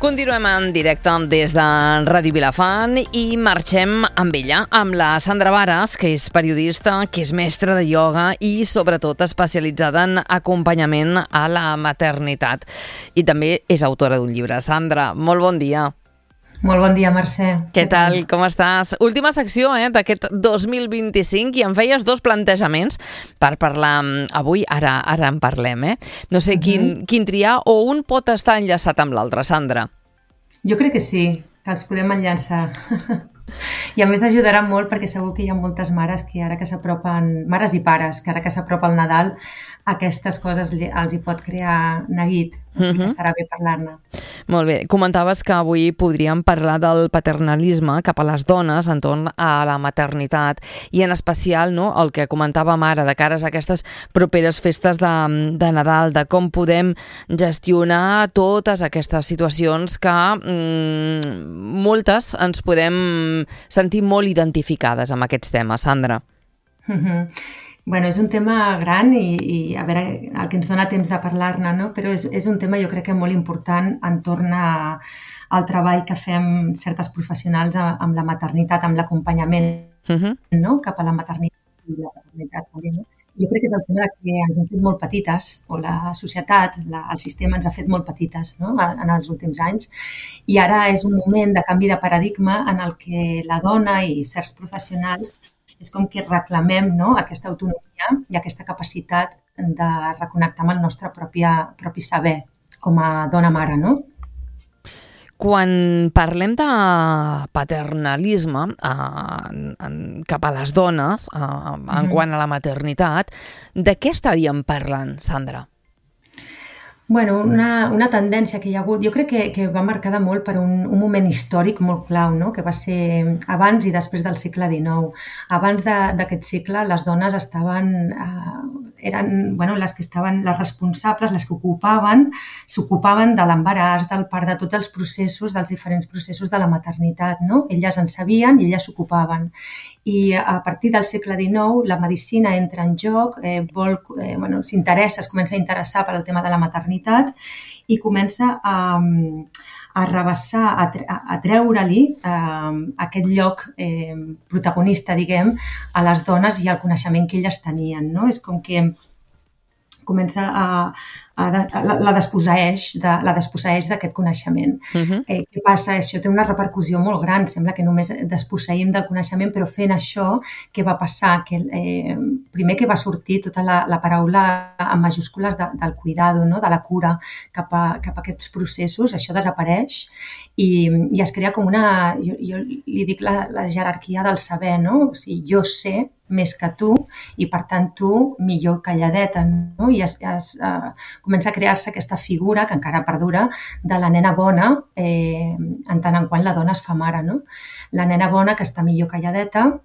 Continuem en directe des de Ràdio Vilafant i marxem amb ella, amb la Sandra Varas, que és periodista, que és mestra de ioga i sobretot especialitzada en acompanyament a la maternitat. I també és autora d'un llibre. Sandra, molt bon dia. Molt bon dia, Mercè. Què tal? Com estàs? Última secció d'aquest 2025 i em feies dos plantejaments per parlar avui. Ara en parlem. No sé quin triar o un pot estar enllaçat amb l'altre, Sandra? Jo crec que sí, que els podem enllaçar. I a més ajudarà molt perquè segur que hi ha moltes mares que ara que s'apropen, mares i pares, que ara que s'apropa el Nadal, aquestes coses els hi pot crear neguit. O sigui que estarà bé parlar-ne. Molt bé. Comentaves que avui podríem parlar del paternalisme cap a les dones entorn a la maternitat i en especial el que comentàvem ara de cares a aquestes properes festes de Nadal, de com podem gestionar totes aquestes situacions que moltes ens podem sentir molt identificades amb aquests temes, Sandra. Bueno, és un tema gran i a veure, el que ens dona temps de parlar-ne, no? Però és un tema jo crec que molt important entorn al treball que fem certes professionals amb la maternitat, amb l'acompanyament no? Cap a la maternitat i la paternitat també, no? Jo crec que és el tema que ens hem fet molt petites, o la societat, el sistema ens ha fet molt petites, no? En els últims anys, i ara és un moment de canvi de paradigma en el que la dona i certs professionals és com que reclamem, no? Aquesta autonomia i aquesta capacitat de reconnectar amb el nostre propi saber com a dona-mare, no? Quan parlem de paternalisme cap a les dones, en quant a la maternitat, de què estaríem parlant, Sandra? Bueno, una tendència que hi ha hagut, jo crec que va marcada molt per un moment històric molt clau, no? Que va ser abans i després del segle XIX. Abans d'aquest segle, les dones eren les que estaven, les responsables, les que s'ocupaven de l'embaràs, del part, de tots els processos, dels diferents processos de la maternitat, no? Elles en sabien i elles s'ocupaven. I a partir del segle XIX la medicina entra en joc, es comença a interessar per al tema de la maternitat i comença a rebassar, a treure-li aquest lloc protagonista, diguem, a les dones i al coneixement que elles tenien, no? És com que comença la desposseeix d'aquest coneixement. Què passa? Això té una repercussió molt gran. Sembla que només desposseïm del coneixement, però fent això, què va passar? Primer que va sortir tota la paraula en majúscules del cuidado, no? De la cura cap a aquests processos. Això desapareix i es crea com jo li dic la jerarquia del saber, no? O sigui, jo sé més que tu i, per tant, tu millor calladeta, no? I comença a crear-se aquesta figura que encara perdura de la nena bona en tant en quant la dona es fa mare, no? La nena bona que està millor calladeta,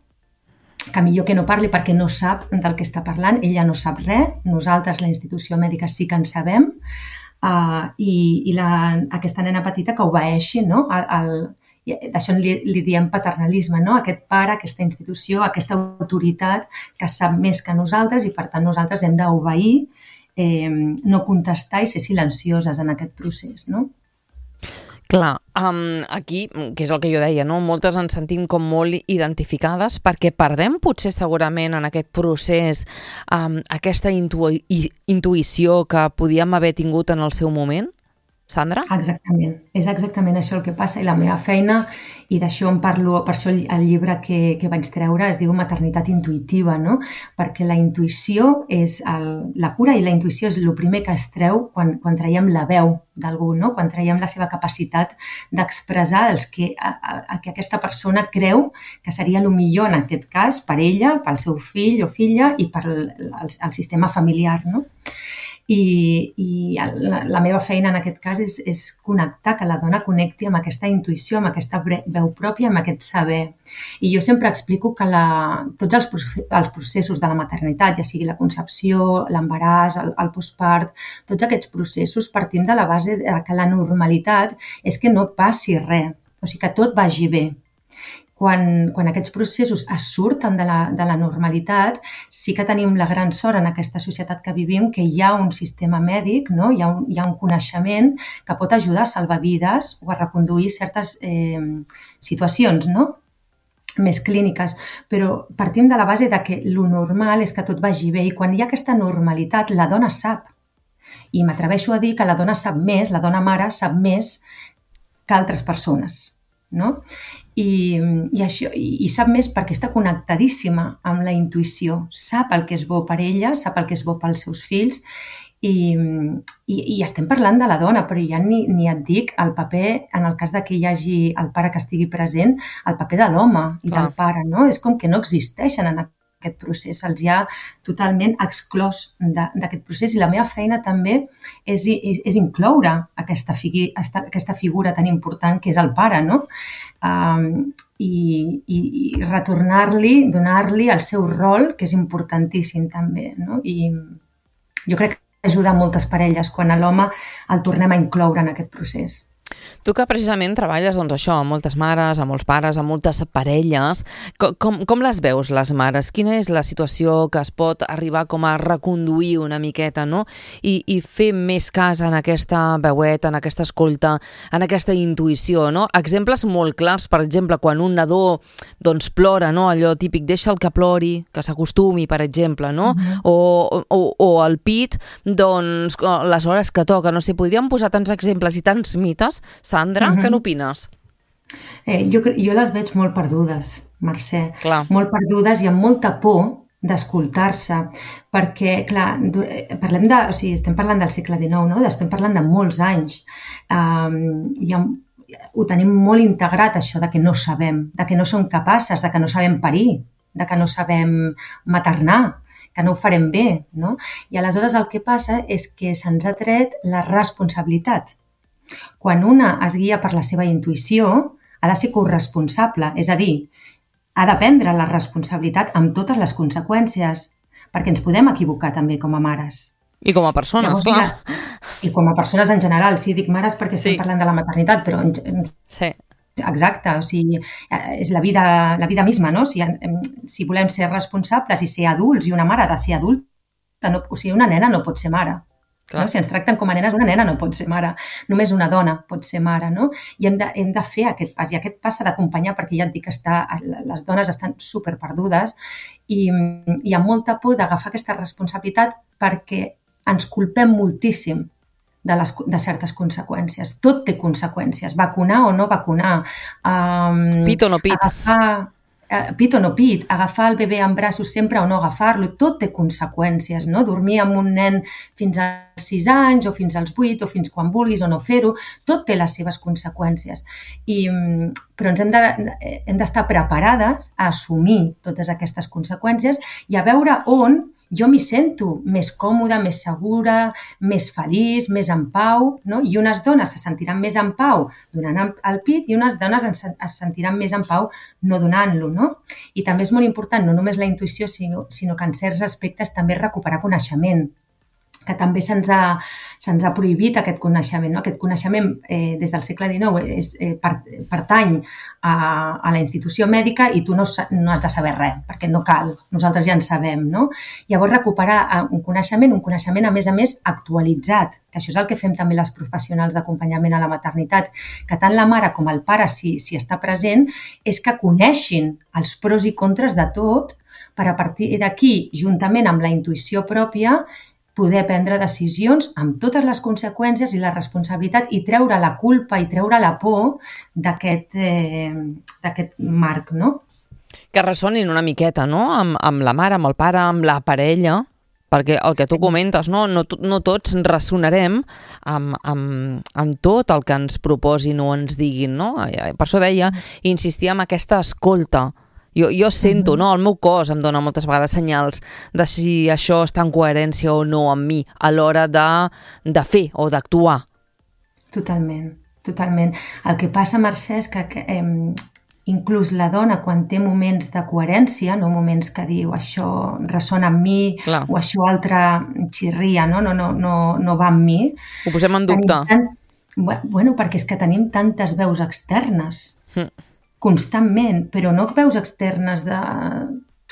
que millor que no parli perquè no sap del que està parlant, ella no sap res, nosaltres, la institució mèdica, sí que en sabem, i aquesta nena petita que obeeixi, no? D'això li diem paternalisme, no? Aquest pare, aquesta institució, aquesta autoritat que sap més que nosaltres i, per tant, nosaltres hem d'obeir, no contestar i ser silencioses en aquest procés, no? Clar, aquí, que és el que jo deia, no? Moltes ens sentim com molt identificades perquè perdem potser segurament en aquest procés aquesta intuïció que podíem haver tingut en el seu moment, Sandra? Exactament, és exactament això el que passa i la meva feina, i d'això en parlo, per això el llibre que vaig treure es diu Maternitat intuïtiva, no? Perquè la intuïció és la cura i la intuïció és el primer que es treu quan traiem la veu d'algú, no? Quan traiem la seva capacitat d'expressar el que aquesta persona creu que seria el millor en aquest cas per ella, pel seu fill o filla i pel sistema familiar, no? I la meva feina en aquest cas és connectar, que la dona connecti amb aquesta intuïció, amb aquesta veu pròpia, amb aquest saber. I jo sempre explico que tots els processos de la maternitat, ja sigui la concepció, l'embaràs, el postpart, tots aquests processos partim de la base que la normalitat és que no passi res, o sigui que tot vagi bé. Quan aquests processos es surten de la normalitat, sí que tenim la gran sort en aquesta societat que vivim que hi ha un sistema mèdic, no? Hi ha un coneixement que pot ajudar a salvar vides o a reconduir certes situacions, no? Més clíniques, però partim de la base de que lo normal és que tot vagi bé i quan hi ha aquesta normalitat la dona sap. I m'atreveixo a dir que la dona sap més, la dona mare sap més que altres persones, no? I sap més perquè està connectadíssima amb la intuïció, sap el que és bo per ella, sap el que és bo pels seus fills i estem parlant de la dona, però ja ni et dic el paper, en el cas de que hi hagi el pare que estigui present, el paper de l'home i del pare, no? És com que no existeixen en aquest procés, se'ls ha totalment exclòs d'aquest procés i la meva feina també és incloure aquesta figura tan important que és el pare, no? I retornar-li, donar-li el seu rol, que és importantíssim també, no? I jo crec que ajuda a moltes parelles quan a l'home el tornem a incloure en aquest procés. Tu que precisament treballes doncs, això, amb moltes mares, amb molts pares, amb moltes parelles, com les veus, les mares? Quina és la situació que es pot arribar com a reconduir una miqueta, no? I fer més cas en aquesta veueta, en aquesta escolta, en aquesta intuïció, no? Exemples molt clars, per exemple, quan un nadó doncs, plora, no? Allò típic, deixa el que plori, que s'acostumi, per exemple, no? O el pit, doncs, les hores que toca, no sé, podríem posar tants exemples i tants mites. Sandra, què n'opines? Jo les veig molt perdudes, Mercè. Clar. Molt perdudes i amb molta por d'escoltar-se, perquè, clar, estem parlant del segle XIX, no? Estem parlant de molts anys. Ho tenim molt integrat, això de que no sabem, de que no som capaces, de que no sabem parir, de que no sabem maternar, que no ho farem bé, no? I aleshores el que passa és que se'ns ha tret la responsabilitat. Quan una es guia per la seva intuïció, ha de ser corresponsable, és a dir, ha de prendre la responsabilitat amb totes les conseqüències, perquè ens podem equivocar també com a mares. I com a persones, clar. I com a persones en general, sí, dic mares perquè estem parlant de la maternitat, però... Sí. Exacte, o sigui, és la vida misma, no? Si volem ser responsables i ser adults, i una mare ha de ser adulta, o sigui, una nena no pot ser mare. No? Si ens tracten com a nenes, una nena no pot ser mare, només una dona pot ser mare, no? I hem de fer aquest pas, i aquest pas s'ha d'acompanyar perquè ja et dic que les dones estan superperdudes i hi ha molta por d'agafar aquesta responsabilitat perquè ens culpem moltíssim de certes conseqüències. Tot té conseqüències, vacunar o no vacunar, pit o no pit. Pit o no pit, agafar el bebè en braços sempre o no agafar-lo, tot té conseqüències, no? Dormir amb un nen fins als 6 anys o fins als 8 o fins quan vulguis o no fer-ho, tot té les seves conseqüències. Però hem d'estar preparades a assumir totes aquestes conseqüències i a veure on jo m'hi sento més còmoda, més segura, més feliç, més en pau, no? I unes dones se sentiran més en pau donant el pit i unes dones es sentiran més en pau no donant-lo, no? I també és molt important, no només la intuïció, sinó que en certs aspectes també recuperar coneixement, que també se'ns ha prohibit aquest coneixement. No? Aquest coneixement des del segle XIX pertany a la institució mèdica i tu no has de saber res, perquè no cal, nosaltres ja en sabem. No? Llavors recuperar un coneixement a més actualitzat, que això és el que fem també les professionals d'acompanyament a la maternitat, que tant la mare com el pare, si està present, és que coneixin els pros i contres de tot per a partir d'aquí, juntament amb la intuïció pròpia, poder prendre decisions amb totes les conseqüències i la responsabilitat i treure la culpa i treure la por d'aquest marc, no? Que ressonin una miqueta, no? Amb la mare, amb el pare, amb la parella, perquè el que tu comentes, no tots ressonarem amb tot el que ens proposin o ens diguin, no? Per això deia, insistir en aquesta escolta, Jo sento, no? El meu cos em dona moltes vegades senyals de si això està en coherència o no amb mi a l'hora de fer o d'actuar. Totalment, totalment. El que passa, Mercè, és que inclús la dona, quan té moments de coherència, no moments que diu això ressona amb mi Clar, o això altre xirria, no va amb mi, ho posem en tenim dubte. Bueno, perquè és que tenim tantes veus externes Mm. constantment, però no veus externes de...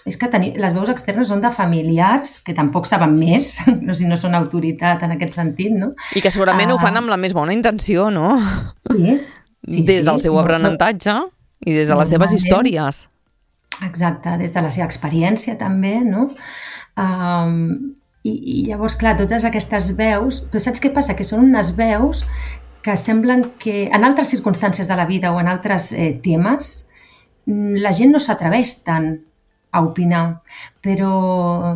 És que les veus externes són de familiars, que tampoc saben més, no, si no són autoritat en aquest sentit, no? I que segurament ho fan amb la més bona intenció, no? Sí, sí, Des del seu aprenentatge i des de les seves normalment. històries. Exacte, des de la seva experiència també, no? I llavors, clar, totes aquestes veus... Però saps què passa? Que són unes veus que semblen que en altres circumstàncies de la vida o en altres temes la gent no s'atreveix tant a opinar, però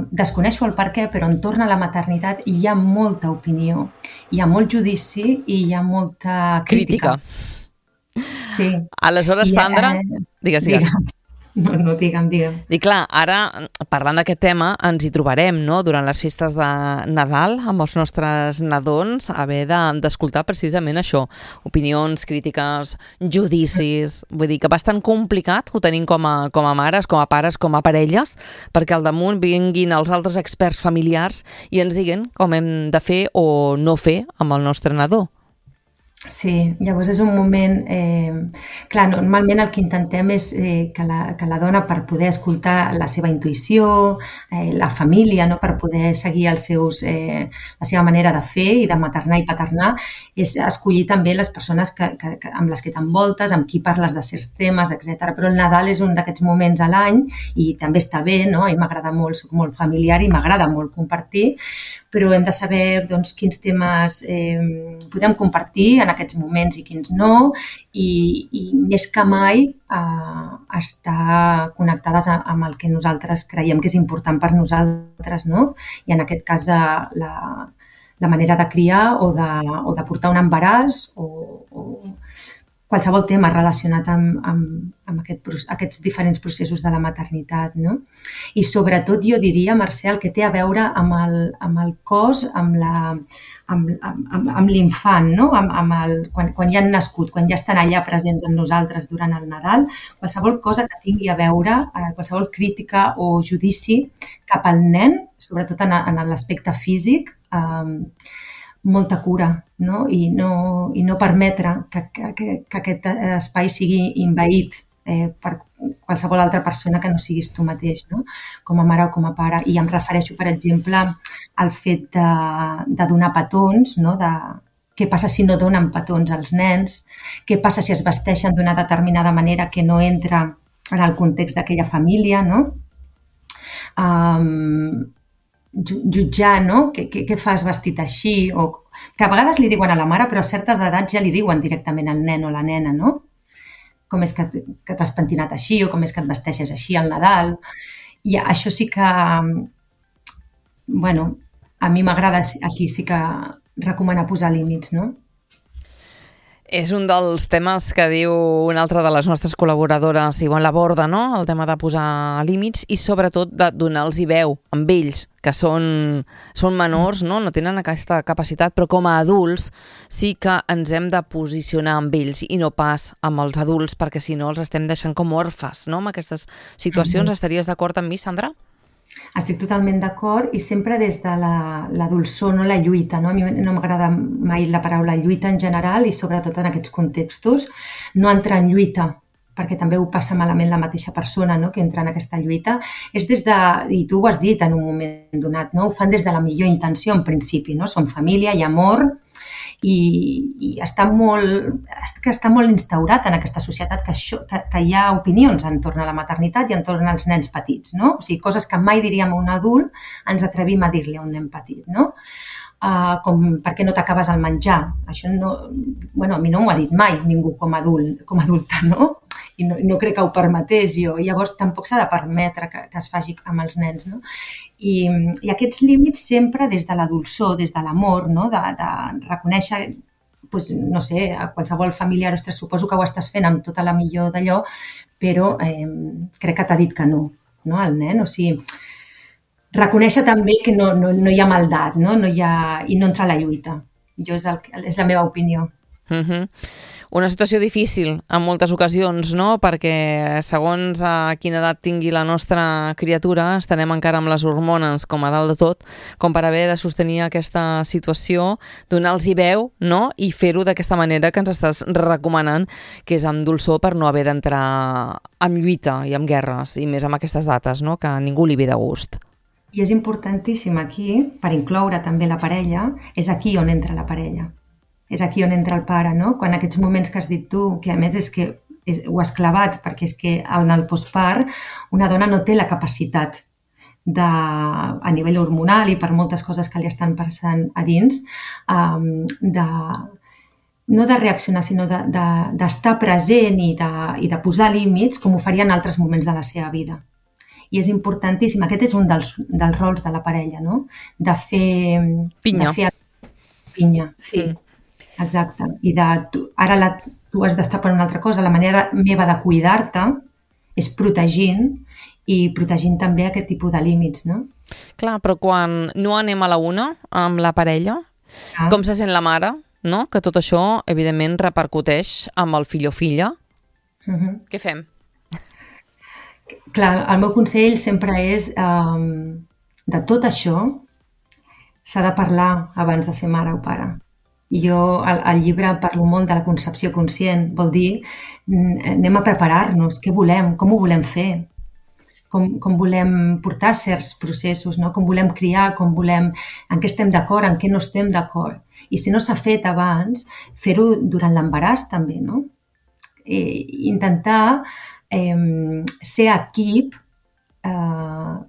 desconeixo el per què, però entorn a la maternitat hi ha molta opinió, hi ha molt judici i hi ha molta crítica. Sí. Aleshores, Sandra, digues. No, digue'm. I clar, ara, parlant d'aquest tema, ens hi trobarem, no?, durant les festes de Nadal, amb els nostres nadons, haver d'escoltar precisament això, opinions, crítiques, judicis, vull dir que bastant complicat ho tenim com a mares, com a pares, com a parelles, perquè al damunt vinguin els altres experts familiars i ens diguin com hem de fer o no fer amb el nostre nadó. Sí, llavors és un moment... clar, normalment el que intentem és que la dona, per poder escoltar la seva intuïció, la família, no? Per poder seguir la seva manera de fer i de maternar i paternar, és escollir també les persones amb les que t'envoltes, amb qui parles de certs temes, etc. Però el Nadal és un d'aquests moments a l'any i també està bé, no? A mi m'agrada molt, soc molt familiar i m'agrada molt compartir, però hem de saber doncs, quins temes podem compartir en aquests moments i quins no, i més que mai estar connectades amb el que nosaltres creiem que és important per nosaltres, no? I en aquest cas la manera de criar o de portar un embaràs o qualsevol tema relacionat amb aquests diferents processos de la maternitat, no? I sobretot jo diria, Mercè, el que té a veure amb el cos, amb l'infant, no? Quan ja han nascut, quan ja estan allà presents amb nosaltres durant el Nadal, qualsevol cosa que tingui a veure, qualsevol crítica o judici cap al nen, sobretot en l'aspecte físic, molta cura, no? I no permetre que aquest espai sigui envaït per qualsevol altra persona que no siguis tu mateix, no? Com a mare o com a pare. I em refereixo, per exemple, al fet de donar petons, no? Què passa si no donen petons als nens? Què passa si es vesteixen d'una determinada manera que no entra en el context d'aquella família, no? Jutjar, no? Què fas vestit així? O que a vegades li diuen a la mare, però a certes edats ja li diuen directament al nen o la nena, no? Com és que t'has pentinat així o com és que et vesteixes així al Nadal. I això sí que, bueno, a mi m'agrada aquí sí que recomanar posar límits, no? És un dels temes que diu una altra de les nostres col·laboradores, Ivonne Laborde, no? El tema de posar límits i sobretot de donar-los veu amb ells, que són menors, no tenen aquesta capacitat, però com a adults sí que ens hem de posicionar amb ells i no pas amb els adults, perquè si no els estem deixant com orfes, no? Amb aquestes situacions. Estaries d'acord amb mi, Sandra? Estic totalment d'acord i sempre des de la dolçor, no la lluita. No? A mi no m'agrada mai la paraula lluita en general i sobretot en aquests contextos. No entrar en lluita, perquè també ho passa malament la mateixa persona, no? Que entra en aquesta lluita. És des de, i tu ho has dit en un moment donat, no? Ho fan des de la millor intenció en principi, no? Som família, hi ha amor i està molt instaurat en aquesta societat que hi ha opinions entorn a la maternitat i entorn als nens petits, no? O sigui, coses que mai diríem a un adult ens atrevim a dir-li a un nen petit, no? Com per què no t'acabes el menjar. Això no, bueno, a mi no m'ho ha dit mai ningú com a adulta, no? I no crec que ho permetés jo. Llavors tampoc s'ha de permetre que es faci amb els nens, no? I aquests límits sempre des de la dolçor, des de l'amor, no? De reconèixer doncs, no sé, a qualsevol familiar, ostres, suposo que ho estàs fent amb tota la millor d'allò, però crec que t'ha dit que no, el nen. O sigui, reconèixer també que no hi ha maldat, no? I no entrar a la lluita. És la meva opinió. Una situació difícil en moltes ocasions, no? Perquè segons a quina edat tingui la nostra criatura estarem encara amb les hormones com a dalt de tot, com per haver de sostenir aquesta situació, donar-los-hi veu, no? I fer-ho d'aquesta manera que ens estàs recomanant, que és amb dolçor, per no haver d'entrar en lluita i en guerres, i més amb aquestes dates, no? Que a ningú li ve de gust. I és importantíssim aquí, per incloure també la parella, és aquí on entra la parella. És aquí on entra el pare, no? Quan aquests moments que has dit tu, que a més és que ho has clavat, perquè és que en el postpart una dona no té la capacitat a nivell hormonal i per moltes coses que li estan passant a dins, no de reaccionar, sinó d'estar present i de posar límits com ho faria en altres moments de la seva vida. I és importantíssim, aquest és un dels rols de la parella, no? De fer... Pinya, sí. Exacte. I ara tu has d'estar per una altra cosa. La manera meva de cuidar-te és protegint també aquest tipus de límits, no? Clar, però quan no anem a la una amb la parella, com se sent la mare, no? Que tot això, evidentment, repercuteix amb el fill o filla. Què fem? Clar, el meu consell sempre és de tot això s'ha de parlar abans de ser mare o pare. Jo al llibre parlo molt de la concepció conscient, vol dir anem a preparar-nos, què volem, com ho volem fer, com volem portar certs processos, no? Com volem criar, en què estem d'acord, en què no estem d'acord. I si no s'ha fet abans, fer-ho durant l'embaràs també, no? Intentar ser equip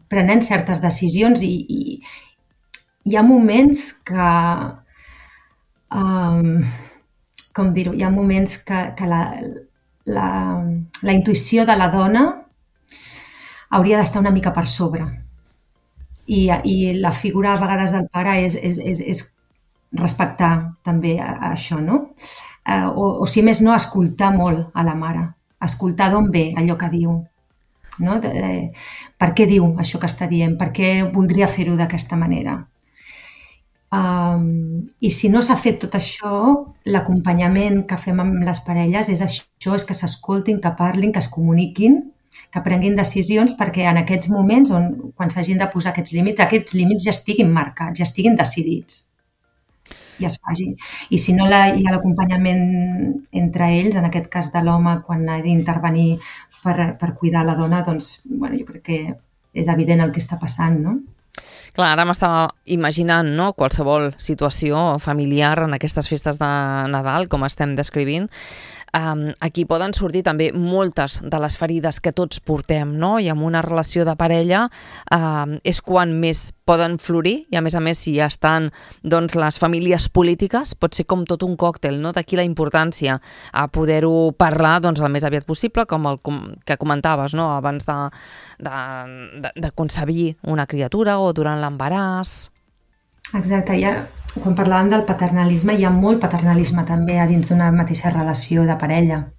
prenent certes decisions i hi ha moments que com dir-ho, hi ha moments que la intuïció de la dona hauria d'estar una mica per sobre i la figura a vegades del pare és respectar també això, no? O si més no, escoltar molt a la mare, escoltar d'on ve allò que diu, no? Per què diu això que està dient, per què voldria fer-ho d'aquesta manera. I si no s'ha fet tot això, l'acompanyament que fem amb les parelles és això, és que s'escoltin, que parlin, que es comuniquin, que prenguin decisions perquè en aquests moments quan s'hagin de posar aquests límits ja estiguin marcats, ja estiguin decidits i es facin. I si no hi ha l'acompanyament entre ells, en aquest cas de l'home quan ha d'intervenir per cuidar la dona, doncs jo crec que és evident el que està passant, no? Clar, ara m'estava imaginant, no?, qualsevol situació familiar en aquestes festes de Nadal, com estem descrivint. Aquí poden sortir també moltes de les ferides que tots portem, no? I amb una relació de parella és quan més poden florir i a més si ja estan doncs, les famílies polítiques, pot ser com tot un còctel, no? D'aquí la importància a poder-ho parlar doncs, el més aviat possible, com el que comentaves, no? Abans de concebir una criatura o durant l'embaràs. Exacte, quan parlàvem del paternalisme, hi ha molt paternalisme també a dins d'una mateixa relació de parella.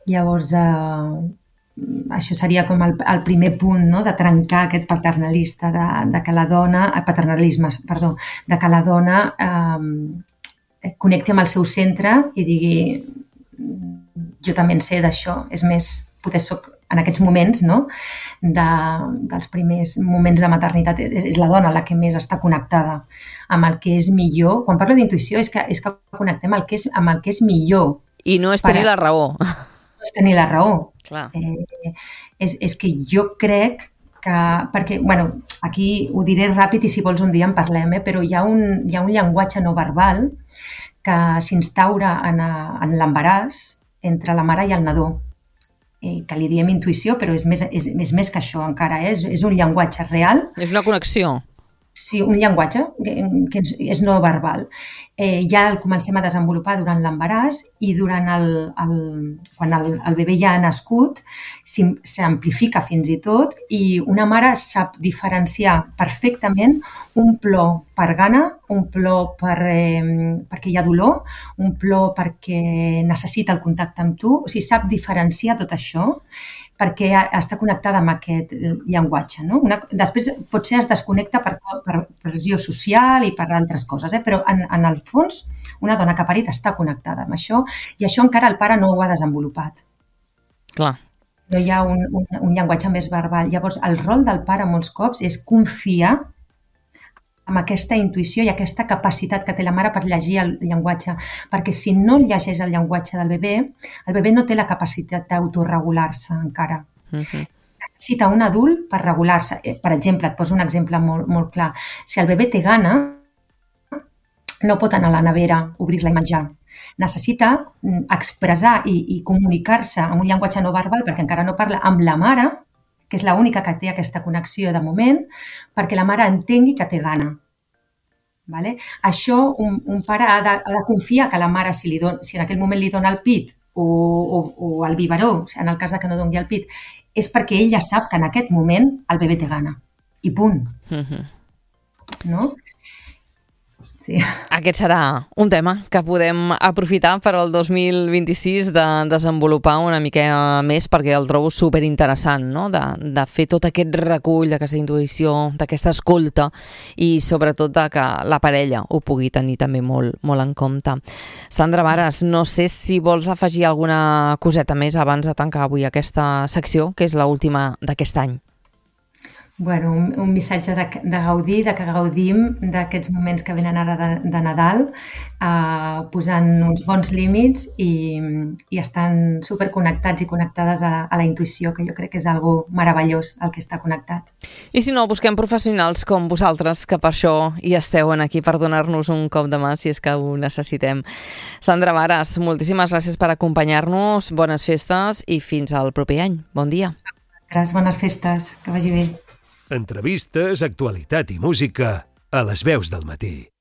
Llavors, això seria com el primer punt, no?, de trencar aquest paternalisme, de que la dona connecti amb el seu centre i digui jo també en sé d'això, és més, potser soc en aquests moments, no?, dels primers moments de maternitat, és la dona la que més està connectada amb el que és millor. Quan parlo d'intuïció és que connectem amb el que és millor. I no és tenir la raó. No és tenir la raó. Clar. És que jo crec que... Perquè, aquí ho diré ràpid i si vols un dia en parlem, però hi ha un llenguatge no verbal que s'instaura en l'embaràs entre la mare i el nadó, que li diem intuïció, però és més que això encara, és un llenguatge real. És una connexió. Sí, un llenguatge que és no verbal. Ja el comencem a desenvolupar durant l'embaràs i quan el bebè ja ha nascut s'amplifica fins i tot i una mare sap diferenciar perfectament un plor per gana un plor perquè hi ha dolor, un plor perquè necessita el contacte amb tu, o sigui, sap diferenciar tot això perquè està connectada amb aquest llenguatge. No? Després potser es desconnecta per pressió social i per altres coses, però en el fons una dona que ha parit està connectada amb això i això encara el pare no ho ha desenvolupat. Clar. No hi ha un llenguatge més verbal. Llavors, el rol del pare molts cops és confiar amb aquesta intuïció i aquesta capacitat que té la mare per llegir el llenguatge, perquè si no llegeix el llenguatge del bebè, el bebè no té la capacitat d'autoregular-se encara. Necessita un adult per regular-se. Per exemple, et poso un exemple molt, molt clar. Si el bebè té gana, no pot anar a la nevera, obrir-la i menjar. Necessita expressar i comunicar-se amb un llenguatge no verbal, perquè encara no parla, amb la mare, que és l'única que té aquesta connexió de moment, perquè la mare entengui que té gana. Vale? Això un pare ha de confiar que la mare, si en aquell moment li dona el pit o el biberó, en el cas que no doni el pit, és perquè ella sap que en aquest moment el bebè té gana. I punt. No? Sí. Aquest serà un tema que podem aprofitar per al 2026 de desenvolupar una mica més, perquè el trobo superinteressant, no? De fer tot aquest recull d'aquesta intuïció, d'aquesta escolta i sobretot de que la parella ho pugui tenir també molt, molt en compte. Sandra Vares, no sé si vols afegir alguna coseta més abans de tancar avui aquesta secció, que és l'última d'aquest any. Bueno, un missatge de gaudir, que gaudim d'aquests moments que venen ara de Nadal, posant uns bons límits i estan superconnectats i connectades a la intuïció, que jo crec que és algo meravellós el que està connectat. I si no, busquem professionals com vosaltres, que per això hi esteu aquí, per donar-nos un cop de mà si és que ho necessitem. Sandra Vares, moltíssimes gràcies per acompanyar-nos, bones festes i fins al proper any. Bon dia. Gràcies, bones festes, que vagi bé. Entrevistes, actualitat i música a les veus del matí.